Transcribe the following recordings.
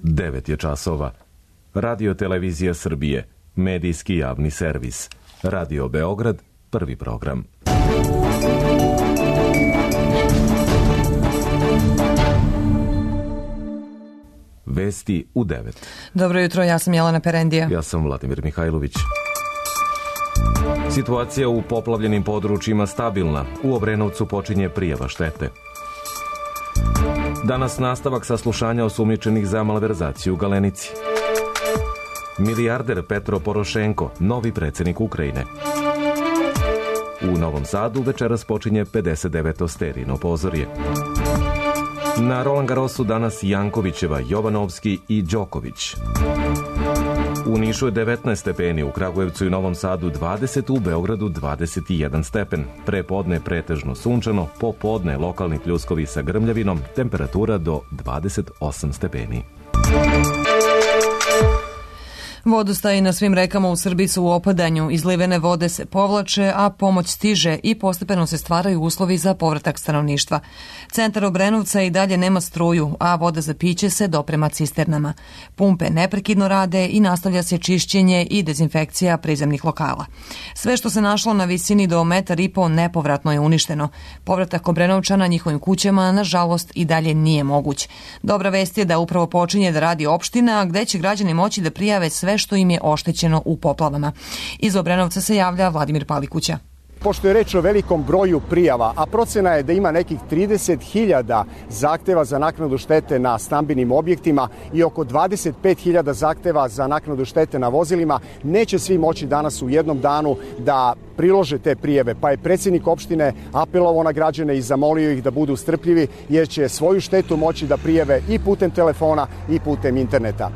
9 je časova. Radio Televizija Srbije, medijski javni servis. Radio Beograd, prvi program. Vesti u 9. Dobro jutro, ja sam Jelena Perendija. Ja sam Vladimir Mihajlović. Situacija u poplavljenim područjima stabilna. U Obrenovcu počinje prijava štete. Danas nastavak saslušanja osumnjičenih za malverzaciju u Galenici. Milijarder Petro Porošenko, novi predsjednik Ukrajine. U Novom Sadu večeras počinje 59. Sterino pozorje. Na Roland Garrosu danas Jankovićeva, Jovanovski i Đoković. U Nišu je 19 stepeni, u Kragujevcu i Novom Sadu 20, u Beogradu 21 stepen. Prepodne pretežno sunčano, popodne lokalni pljuskovi sa grmljavinom, temperatura do 28 stepeni. Vodostaji na svim rekama u Srbiji su u opadanju, izlivene vode se povlače, a pomoć stiže i postepeno se stvaraju uslovi za povratak stanovništva. Centar Obrenovca i dalje nema struju, a voda za piće se doprema cisternama. Pumpe neprekidno rade i nastavlja se čišćenje i dezinfekcija prizemnih lokala. Sve što se našlo na visini do 1,5 m nepovratno je uništeno. Povratak Obrenovčana njihovim kućama, nažalost, i dalje nije moguć. Dobra vest je da upravo počinje da radi opština, gde će građani moći da prijave sve što im je oštećeno u poplavama. Iz Obrenovca se javlja Vladimir Palikuća. Pošto je reč o velikom broju prijava, a procena je da ima nekih 30.000 zahteva za naknadu štete na stambenim objektima i oko 25.000 zahteva za naknadu štete na vozilima, neće svi moći danas u jednom danu da prilože te prijeve, pa je predsjednik opštine apelovao na građane i zamolio ih da budu strpljivi, jer će svoju štetu moći da prijave i putem telefona i putem interneta.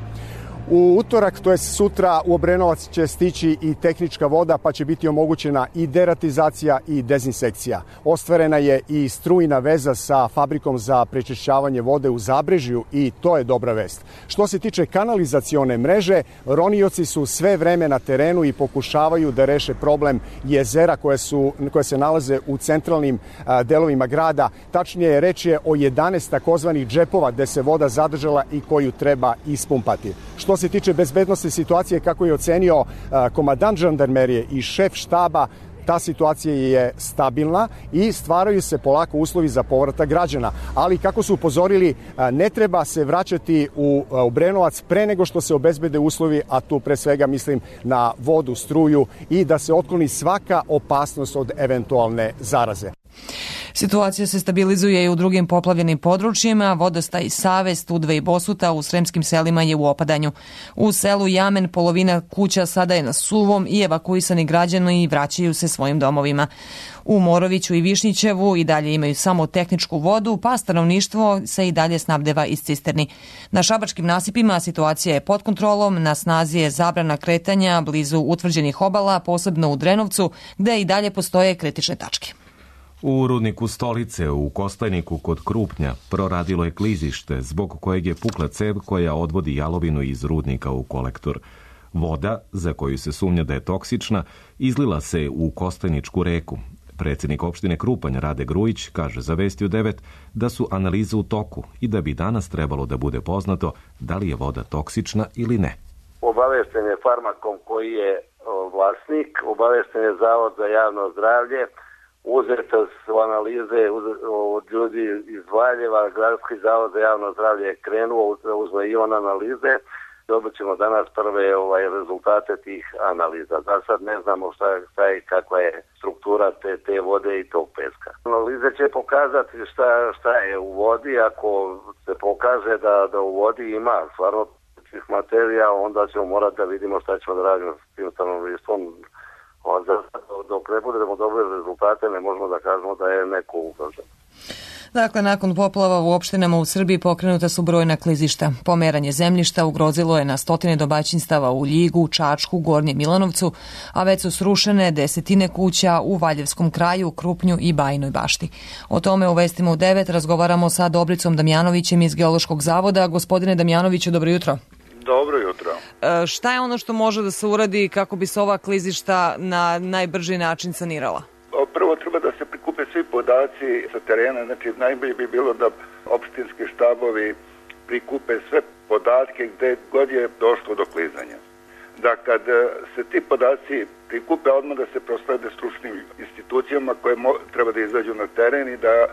U utorak, to je sutra, u Obrenovac će stići i tehnička voda, pa će biti omogućena i deratizacija i dezinsekcija. Ostvarena je i strujna veza sa fabrikom za prečišćavanje vode u Zabrežju i to je dobra vest. Što se tiče kanalizacione mreže, ronioci su sve vreme na terenu i pokušavaju da reše problem jezera koje se nalaze u centralnim delovima grada. Tačnije, reč je o 11 takozvanih džepova gde se voda zadržala i koju treba ispumpati. Što se tiče bezbednosne situacije, kako je ocenio komandant žandarmerije i šef štaba, ta situacija je stabilna i stvaraju se polako uslovi za povratak građana. Ali, kako su upozorili, ne treba se vraćati u Obrenovac pre nego što se obezbede uslovi, a tu pre svega mislim na vodu, struju i da se otkloni svaka opasnost od eventualne zaraze. Situacija se stabilizuje i u drugim poplavljenim područjima. Vodostaj Save, Studve i Bosuta u sremskim selima je u opadanju. U selu Jamen polovina kuća sada je na suvom i evakuisani građani vraćaju se svojim domovima. U Moroviću i Višnjićevu i dalje imaju samo tehničku vodu, pa stanovništvo se i dalje snabdeva iz cisterni. Na šabačkim nasipima situacija je pod kontrolom, na snazi je zabrana kretanja blizu utvrđenih obala, posebno u Drenovcu, gde i dalje postoje kritične tačke. U rudniku Stolice u Kostajniku kod Krupnja proradilo je klizište zbog kojeg je pukla cev koja odvodi jalovinu iz rudnika u kolektor. Voda, za koju se sumnja da je toksična, izlila se u Kostajničku reku. Predsjednik opštine Krupanj Rade Grujić kaže za Vesti u 9 da su analize u toku i da bi danas trebalo da bude poznato da li je voda toksična ili ne. Obavešten je Farmakom koji je vlasnik, obavešten je Zavod za javno zdravlje, uzete su analize od ljudi iz Valjeva, Gradski zavod za javno zdravlje je krenuo, uzme i on analize. Dobit ćemo danas prve rezultate tih analiza. Za sad ne znamo šta je, kakva je struktura te vode i tog peska. Analize će pokazati šta je u vodi. Ako se pokaže da u vodi ima stvarno tih materija, onda ćemo morati da vidimo šta ćemo da radimo s tim stanovništvom. Dok ne budemo dobili rezultate, ne možemo da kažemo da je neko ugrožen. Dakle, nakon poplava u opštinama u Srbiji pokrenuta su brojna klizišta. Pomeranje zemljišta ugrozilo je na stotine domaćinstava u Ljigu, Čačku, Gornjem Milanovcu, a već su srušene desetine kuća u Valjevskom kraju, Krupnju i Bajinoj Bašti. O tome u Vestima u 9 razgovaramo sa Dobricom Damjanovićem iz Geološkog zavoda. Gospodine Damjanoviću, dobro jutro. Dobro jutro. Šta je ono što može da se uradi kako bi se ova klizišta na najbrži način sanirala? Prvo treba da se prikupe svi podaci sa terena, znači najbolje bi bilo da opštinski štabovi prikupe sve podatke gde god je došlo do klizanja. Da kad se ti podaci prikupe, odmah da se proslede stručnim institucijama koje treba da izađu na teren i da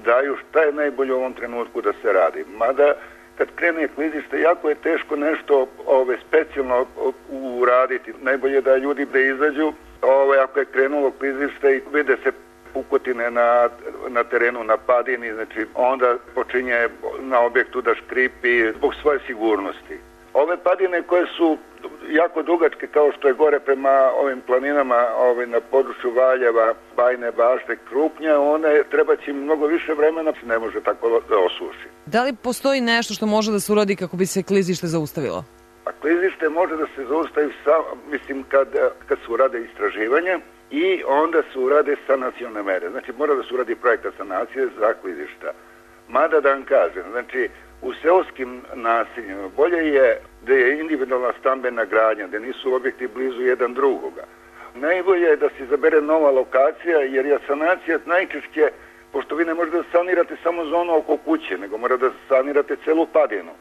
daju šta je najbolje u ovom trenutku da se radi. Mada kad krene klizište, jako je teško nešto specijalno uraditi. Najbolje da ljudi da izađu ako je krenulo klizište i vide se pukotine na terenu, na padini, znači onda počinje na objektu da škripi zbog svoje sigurnosti. Ove padine koje su jako dugačke, kao što je gore prema ovim planinama na području Valjeva, Bajne Bašte, Krupnja, one treba će mnogo više vremena, ne može tako da osuši. Da li postoji nešto što može da se uradi kako bi se klizište zaustavilo? A klizište može da se zaustavi kad se urade istraživanja i onda se urade sanacione mere. Znači mora da se uradi projekta sanacije za klizišta. Mada da vam kažem, znači u seoskim naseljima bolje je da je individualna stambena gradnja, da nisu objekti blizu jedan drugoga. Najbolje je da se izabere nova lokacija, jer je sanacija najčešće, pošto vi ne možete da sanirate samo zonu oko kuće, nego mora da sanirate celu padinu.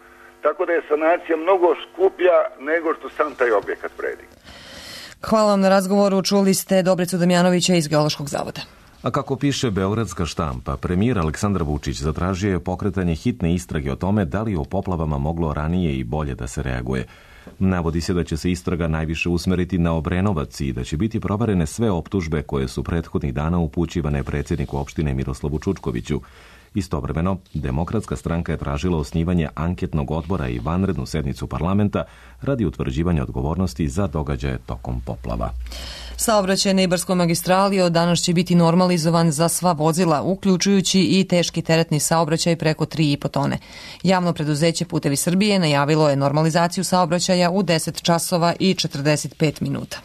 Tako da je sanacija mnogo skuplja nego što sam taj objekat vredi. Hvala vam na razgovoru. Čuli ste Dobricu Damjanovića iz Geološkog zavoda. A kako piše beogradska štampa, premijer Aleksandar Vučić zatražio je pokretanje hitne istrage o tome da li je o poplavama moglo ranije i bolje da se reaguje. Navodi se da će se istraga najviše usmeriti na Obrenovac i da će biti proverene sve optužbe koje su prethodnih dana upućivane predsjedniku opštine Miroslavu Čučkoviću. Istovremeno, Demokratska stranka je tražila osnivanje anketnog odbora i vanrednu sednicu parlamenta radi utvrđivanja odgovornosti za događaje tokom poplava. Saobraćaj na Ibarskoj magistrali od danas će biti normalizovan za sva vozila, uključujući i teški teretni saobraćaj preko 3,5 tone. Javno preduzeće Putevi Srbije najavilo je normalizaciju saobraćaja u 10 časova i 45 minuta.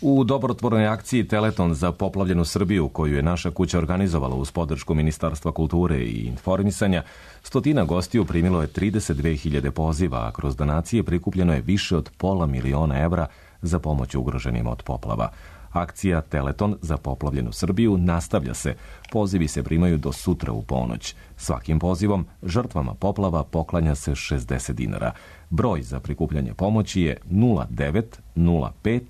U dobrotvornoj akciji Teleton za poplavljenu Srbiju, koju je naša kuća organizovala uz podršku Ministarstva kulture i informisanja, 100 gostiju primilo je 32.000 poziva, a kroz donacije prikupljeno je više od $500.000 evra za pomoć ugroženim od poplava. Akcija Teleton za poplavljenu Srbiju nastavlja se. Pozivi se primaju do sutra u ponoć. Svakim pozivom žrtvama poplava poklanja se 60 dinara. Broj za prikupljanje pomoći je 0905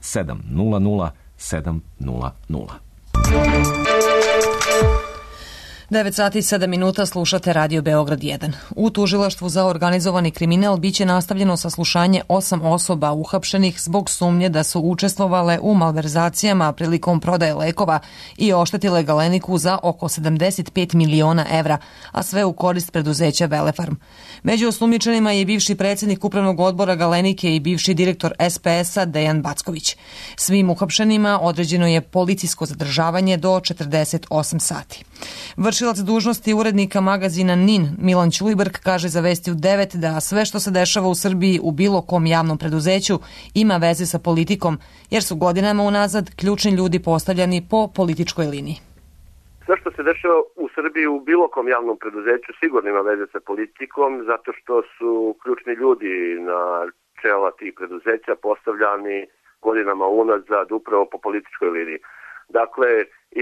700 700. 9 sati i 7 minuta slušate Radio Beograd 1. U tužilaštvu za organizovani kriminal biće nastavljeno saslušanje 8 osoba uhapšenih zbog sumnje da su učestvovale u malverzacijama prilikom prodaje lekova i oštetile Galeniku za oko 75 miliona evra, a sve u korist preduzeća Velefarm. Među osumnjičenima je bivši predsjednik upravnog odbora Galenike i bivši direktor SPS-a Dejan Backović. Svim uhapšenima određeno je policijsko zadržavanje do 48 sati. Vršilac dužnosti urednika magazina NIN Milan Ćulibrk kaže za Vesti u 9 da sve što se dešava u Srbiji u bilo kom javnom preduzeću ima veze sa politikom, jer su godinama unazad ključni ljudi postavljani po političkoj liniji. Sve što se dešava u Srbiji u bilo kom javnom preduzeću sigurno ima veze sa politikom, zato što su ključni ljudi na čela tih preduzeća postavljani godinama unazad upravo po političkoj liniji. Dakle,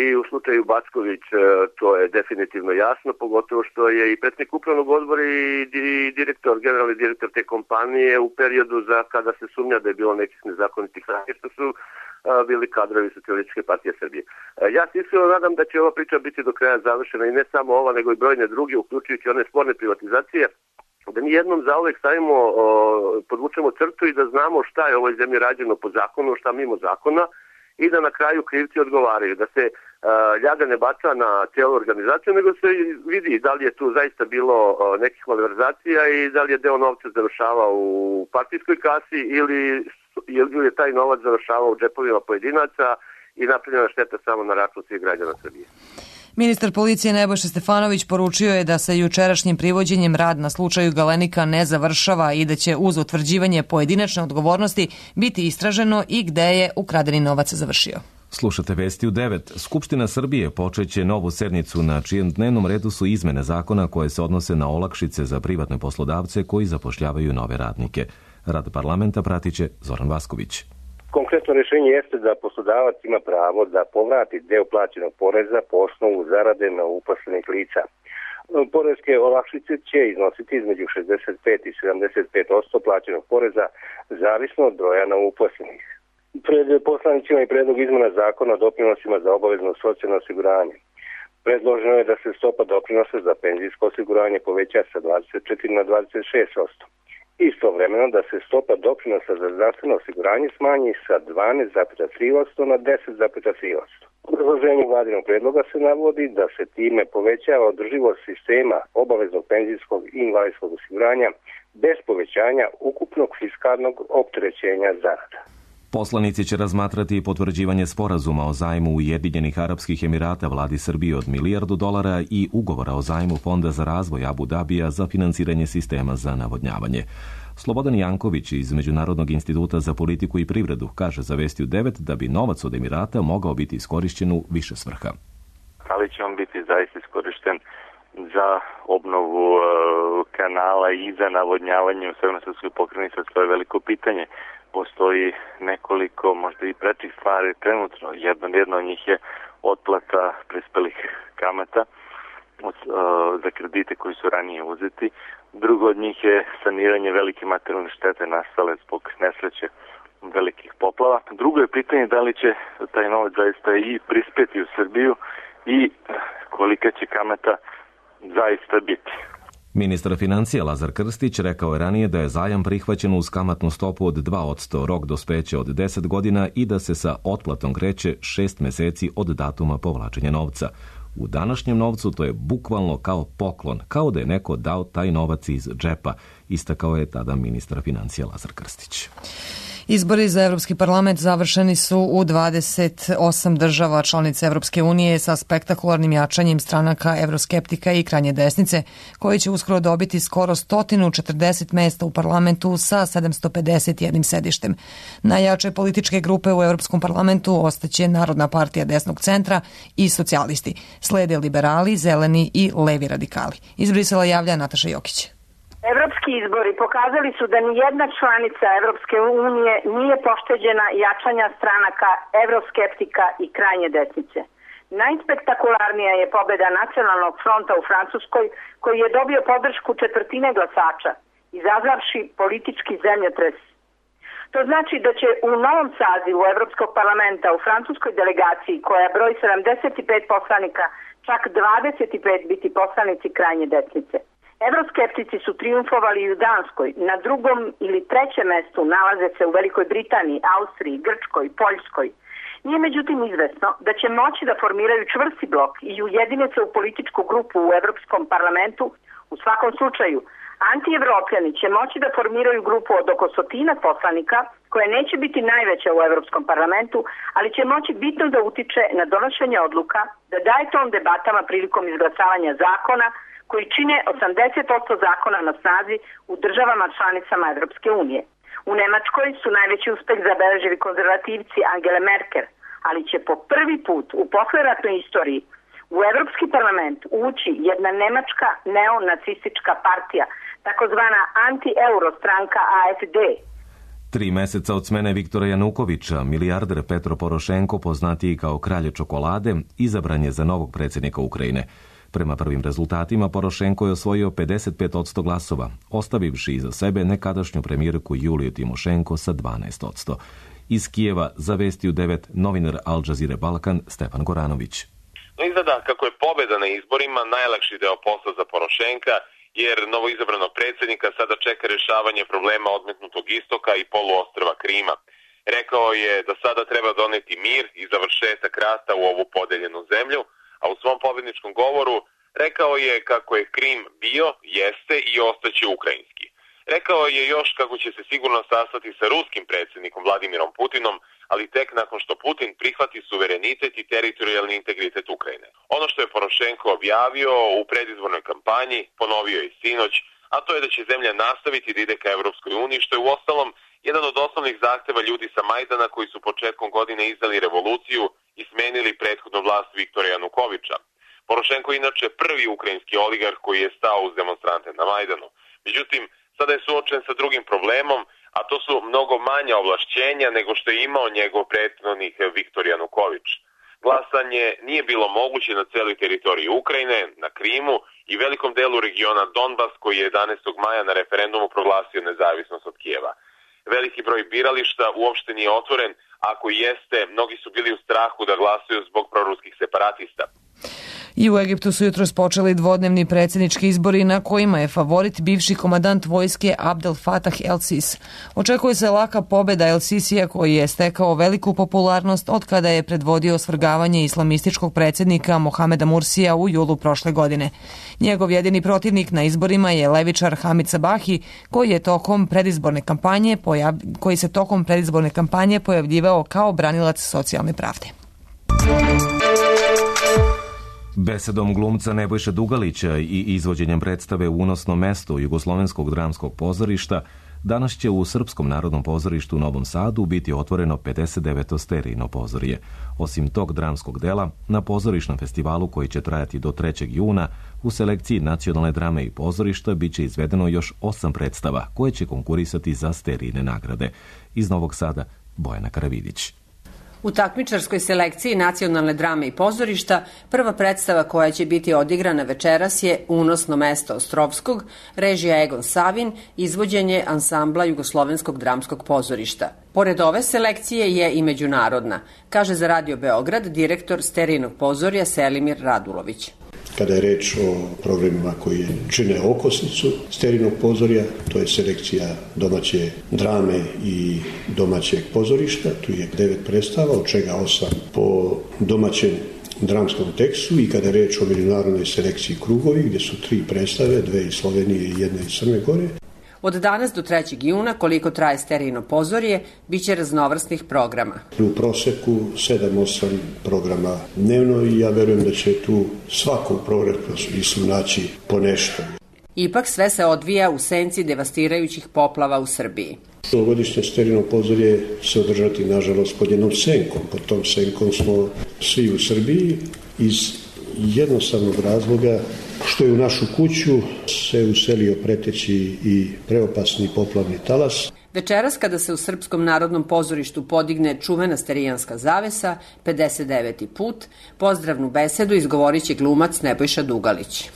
i u slučaju Backović to je definitivno jasno, pogotovo što je i predsjednik upravnog odbora i generalni direktor te kompanije u periodu za kada se sumnja da je bilo nekih nezakonitih radnji, što su bili kadrovi Socijalističke partije Srbije. Ja se iskreno nadam da će ova priča biti do kraja završena i ne samo ova, nego i brojne druge, uključujući one sporne privatizacije, da mi jednom zauvek stavimo, podvučemo crtu i da znamo šta je u ovoj zemlji rađeno po zakonu, šta mimo zakona, i da na kraju krivci odgovaraju, da se ljaga ne baca na cijelu organizaciju, nego se vidi da li je tu zaista bilo nekih malverzacija i da li je deo novca završavao u partijskoj kasi ili je taj novac završavao u džepovima pojedinaca i napravljena šteta samo na račun svih građana Srbije. Ministar policije Nebojša Stefanović poručio je da sa jučerašnjim privođenjem rad na slučaju Galenika ne završava i da će uz utvrđivanje pojedinačne odgovornosti biti istraženo i gde je ukradeni novac završio. Slušate Vesti u 9. Skupština Srbije počeće novu sednicu na čijem dnevnom redu su izmene zakona koje se odnose na olakšice za privatne poslodavce koji zapošljavaju nove radnike. Rad parlamenta pratiće Zoran Vasković. Konkretno rješenje jeste da poslodavac ima pravo da povrati deo plaćenog poreza po osnovu zarade na uposlenih lica. Poreske olakšice će iznositi između 65 i 75% plaćenog poreza, zavisno od broja novouposlenih. Pred poslanicima i predlog izmena zakona o doprinosima za obavezno socijalno osiguranje. Predloženo je da se stopa doprinosa za penzijsko osiguranje poveća sa 24 na 26%. Istovremeno da se stopa doprinosa za zdravstveno osiguranje smanji sa 12,3% na 10,3%. U obrazloženju vladinog predloga se navodi da se time povećava održivost sistema obaveznog penzijskog i invalidskog osiguranja bez povećanja ukupnog fiskalnog opterećenja zarada. Poslanici će razmatrati i potvrđivanje sporazuma o zajmu Ujedinjenih Arapskih Emirata vladi Srbije od $1 milijardu i ugovora o zajmu Fonda za razvoj Abu Dabija za finansiranje sistema za navodnjavanje. Slobodan Janković iz Međunarodnog instituta za politiku i privredu kaže za Vestiju 9 da bi novac od Emirata mogao biti iskorišćen u više svrha. Ali će on biti zaista iskorišten za obnovu kanala i za navodnjavanje u Severnoj pokrajini, to je veliko pitanje. Postoji nekoliko možda i prečih stvari trenutno. Jedno od njih je otplata prispelih kamata za kredite koji su ranije uzeti. Drugo od njih je saniranje velike materijalne štete nastale zbog nesreće velikih poplava. Drugo je pitanje da li će taj novac zaista i prispeti u Srbiju i kolika će kamata zaista biti. Ministar financija Lazar Krstić rekao je ranije da je zajam prihvaćen uz kamatnu stopu od 2%, rok dospeća od 10 godina i da se sa otplatom kreće 6 meseci od datuma povlačenja novca. U današnjem novcu to je bukvalno kao poklon, kao da je neko dao taj novac iz džepa, istakao je tada ministar financija Lazar Krstić. Izbori za Evropski parlament završeni su u 28 država članica Evropske unije sa spektakularnim jačanjem stranaka evroskeptika i krajnje desnice, koji će uskoro dobiti skoro 140 mesta u parlamentu sa 751 sedištem. Najjače političke grupe u Evropskom parlamentu ostaće Narodna partija desnog centra i socijalisti. Slede liberali, zeleni i levi radikali. Iz Brisela javlja Nataša Jokić. Evropski izbori pokazali su da nijedna članica Evropske unije nije pošteđena jačanja stranaka evroskeptika i krajnje desnice. Najspektakularnija je pobeda Nacionalnog fronta u Francuskoj, koji je dobio podršku četvrtine glasača, izazvavši politički zemljotres. To znači da će u novom sazivu Evropskog parlamenta u francuskoj delegaciji, koja broji 75 poslanika, čak 25 biti poslanici krajnje desnice. Evroskeptici su triumfovali i u Danskoj, na drugom ili trećem mestu nalaze se u Velikoj Britaniji, Austriji, Grčkoj, Poljskoj. Nije međutim izvesno da će moći da formiraju čvrsti blok i ujedine se u političku grupu u Evropskom parlamentu. U svakom slučaju, antievropljani će moći da formiraju grupu od oko 100 poslanika, koja neće biti najveća u Evropskom parlamentu, ali će moći bitno da utiče na donošenje odluka, da daje ton debatama prilikom izglasavanja zakona, koji čine 80% zakona na snazi u državama članicama Evropske unije. U Nemačkoj su najveći uspeh zabeležili konzervativci Angele Merkel, ali će po prvi put u posleratnoj istoriji u Evropski parlament ući jedna nemačka neonacistička partija, takozvana anti-euro stranka AfD. 3 meseca od smene Viktora Janukovića, milijarder Petro Porošenko, poznatiji kao kralj čokolade, izabran je za novog predsjednika Ukrajine. Prema prvim rezultatima, Porošenko je osvojio 55% glasova, ostavivši iza sebe nekadašnju premijerku Juliju Timošenko sa 12%. Iz Kijeva za Vestiju 9 novinar Al Jazeera Balkan Stefan Goranović. Izgleda kako je pobjeda na izborima najlakši deo posla za Porošenka, jer novoizabranog predsjednika sada čeka rješavanje problema odmetnutog istoka i poluostrva Krima. Rekao je da sada treba doneti mir i završetak rata u ovu podeljenu zemlju, a u svom pobjedničkom govoru rekao je kako je Krim bio, jeste i ostaće ukrajinski. Rekao je još kako će se sigurno sastati sa ruskim predsjednikom Vladimirom Putinom, ali tek nakon što Putin prihvati suverenitet i teritorijalni integritet Ukrajine. Ono što je Porošenko objavio u predizbornoj kampanji, ponovio je sinoć, a to je da će zemlja nastaviti da ide ka Evropskoj uniji, što je uostalom jedan od osnovnih zahteva ljudi sa Majdana koji su početkom godine izdali revoluciju i smenili prethodnu vlast Viktora Janukovića. Porošenko je inače prvi ukrajinski oligarh koji je stao uz demonstrante na Majdanu. Međutim, sada je suočen sa drugim problemom, a to su mnogo manja ovlašćenja nego što je imao njegov prethodnik Viktor Januković. Glasanje nije bilo moguće na celoj teritoriji Ukrajine, na Krimu i velikom delu regiona Donbas koji je 11. maja na referendumu proglasio nezavisnost od Kijeva. Veliki broj birališta uopšte nije otvoren, ako i jeste, mnogi su bili u strahu da glasuju zbog proruskih separatista. I u Egiptu su jutros počeli dvodnevni predsjednički izbori na kojima je favorit bivši komandant vojske Abdel Fattah el-Sisi. Očekuje se laka pobjeda el-Sisija koji je stekao veliku popularnost od kada je predvodio svrgavanje islamističkog predsjednika Mohameda Mursija u julu prošle godine. Njegov jedini protivnik na izborima je levičar Hamid Sabahi koji se tokom predizborne kampanje pojavljivao kao branilac socijalne pravde. Besedom glumca Nebojše Dugalića i izvođenjem predstave Unosno mesto Jugoslovenskog dramskog pozorišta danas će u Srpskom narodnom pozorištu u Novom Sadu biti otvoreno 59. sterijno pozorje. Osim tog dramskog dela, na pozorišnom festivalu koji će trajati do 3. juna u selekciji nacionalne drame i pozorišta bit će izvedeno još 8 predstava koje će konkurisati za sterijne nagrade. Iz Novog Sada, Bojana Karavidić. U takmičarskoj selekciji nacionalne drame i pozorišta prva predstava koja će biti odigrana večeras je Unosno mesto Ostrovskog, režija Egon Savin, izvođenje ansambla Jugoslovenskog dramskog pozorišta. Pored ove selekcije je i međunarodna, kaže za Radio Beograd direktor sterijnog pozorja Selimir Radulović. Kada je reč o programima koji čine okosnicu sterijnog pozorja, to je selekcija domaće drame i domaćeg pozorišta. Tu je 9 predstava, od čega 8 po domaćem dramskom tekstu, i kada je reč o međunarodnoj selekciji Krugovi, gdje su 3 predstave, 2 iz Slovenije i 1 iz Crne Gore. Od danas do 3. juna, koliko traje sterijno pozorje, bit će raznovrsnih programa. U proseku 7-8 programa dnevno i ja verujem da će tu svakom programu naći po nešto. Ipak sve se odvija u senci devastirajućih poplava u Srbiji. Ovogodišnje sterijno pozorje se održati, nažalost, pod jednom senkom. Pod tom senkom smo svi u Srbiji iz jednostavnog razloga što je u našu kuću se uselio preteći i preopasni poplavni talas. Večeras, kada se u Srpskom narodnom pozorištu podigne čuvena sterijanska zavesa, 59. put, pozdravnu besedu izgovorit će glumac Nebojša Dugalić.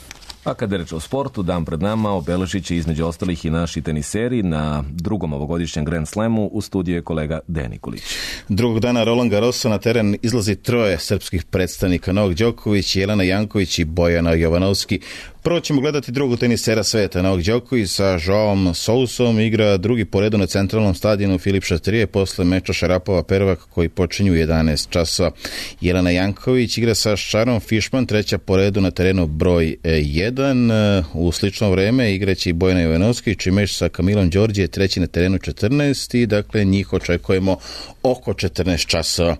A kada je reč o sportu, dan pred nama obeležit će između ostalih i naši teniseri na drugom ovogodišnjem Grand Slamu. U studiju je kolega Dejan Nikolić. Drugog dana Roland Garrosa na teren izlazi 3 srpskih predstavnika: Novak Đoković, Jelena Janković i Bojana Jovanovski. Prvo ćemo gledati drugog tenisera sveta. Novak Đoković sa Joaom Sousom igra drugi po redu na centralnom stadionu Filip Chatrier posle meča Šarapova-Pervak koji počinju u 11 časova. Jelena Janković igra sa Sharon Fishman, treća po redu na terenu broj 1. U slično vreme igraće i Bojana Jovanovski, čimeš sa Kamilom Đorđe treći na terenu 14. i dakle njih očekujemo oko 14 časova.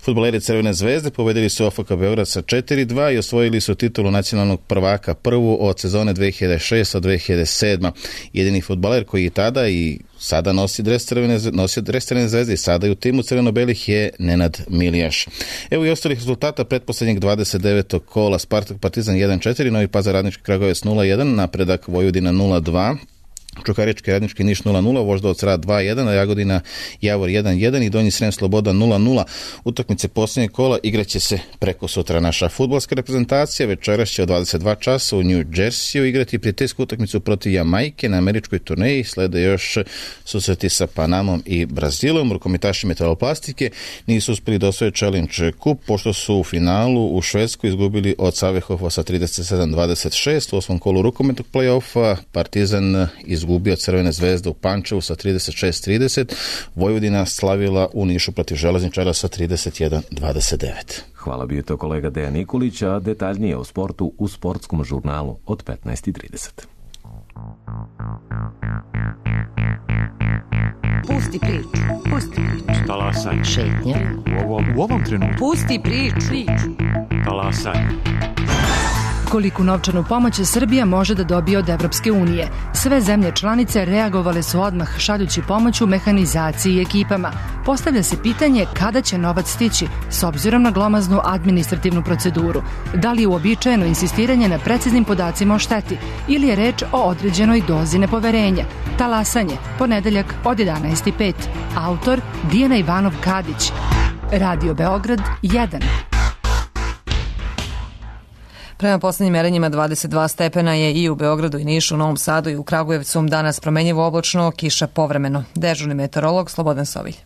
Fudbaleri Crvene zvezde pobedili su OFK Beograd sa 4-2 i osvojili su titulu nacionalnog prvaka, prvu od sezone 2006-2007. Jedini fudbaler koji je tada i sada nosi dres Crvene zvezde i sada je u timu crveno-belih je Nenad Milijaš. Evo i ostalih rezultata pretposlednjeg 29. kola: Spartak Partizan 1-4, Novi Pazar Radnički Kragujevac 0-1, Napredak Vojvodina 0-2, Čukarički Radnički Niš 0-0, Voždovac Rad 2-1, Jagodina Javor 1-1 i Donji Srem Sloboda 0-0. Utakmice posljednjeg kola igraće se preko sutra. Naša fudbalska reprezentacija večeras će od 22 časa u New Jersey igrati prijateljsku utakmicu protiv Jamajke na američkoj turneji. Slede još susreti sa Panamom i Brazilom. Rukometaši metaloplastike nisu uspjeli da osvoje Challenge Cup pošto su u finalu u Švedskoj izgubili od Savehofa sa 37-26. U 8. kolu rukometnog play-offa Partizan izgubio od Crvene zvezde u Pančevu sa 36-30. Vojvodina slavila u Nišu protiv Železničara sa 31-29. Hvala, bio to kolega Dejan Nikolić, a detaljnije o sportu u sportskom žurnalu od 15:30. Pusti priču. Talasaj. Šetnja. U ovom trenutku. Pusti priču. Talasaj. Koliku novčanu pomoć Srbija može da dobije od Evropske unije. Sve zemlje članice reagovale su odmah šaljući pomoć u mehanizaciji i ekipama. Postavlja se pitanje kada će novac stići, s obzirom na glomaznu administrativnu proceduru. Da li je uobičajeno insistiranje na preciznim podacima o šteti ili je reč o određenoj dozi nepoverenja? Talasanje, ponedeljak od 11:05. Autor Dijana Ivanov Kadić. Radio Beograd 1. Prema poslednjim merenjima 22 stepena je i u Beogradu i Nišu, u Novom Sadu i u Kragujevcu. Danas promenjivo oblačno, kiša povremeno. Dežurni meteorolog Slobodan Sovilj.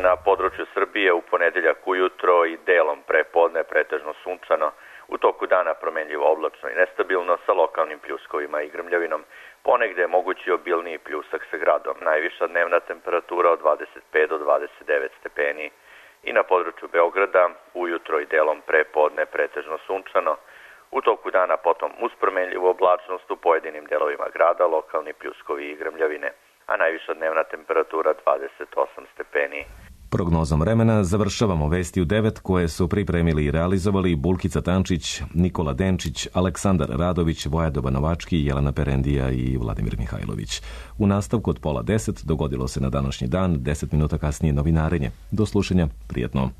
Na području Srbije u ponedeljak ujutro i delom prepodne pretežno sunčano, u toku dana promenljivo oblačno i nestabilno sa lokalnim pljuskovima i grmljavinom. Ponegde je mogući obilniji pljusak sa gradom. Najviša dnevna temperatura od 25 do 29 stepeni i na području Beograda ujutro i delom prepodne pretežno sunčano. U toku dana potom uz promenljivu oblačnost u pojedinim delovima grada, lokalni pljuskovi i grmljavine, a najviša dnevna temperatura 28 stepeni. Prognozom vremena završavamo vesti u 9 koje su pripremili i realizovali Bulkica Tančić, Nikola Denčić, Aleksandar Radović, Vojadoba Novački, Jelena Perendija i Vladimir Mihajlović. U nastavku od 9:30 dogodilo se na današnji dan, 10 minuta kasnije novinarenje. Do slušanja, prijetno.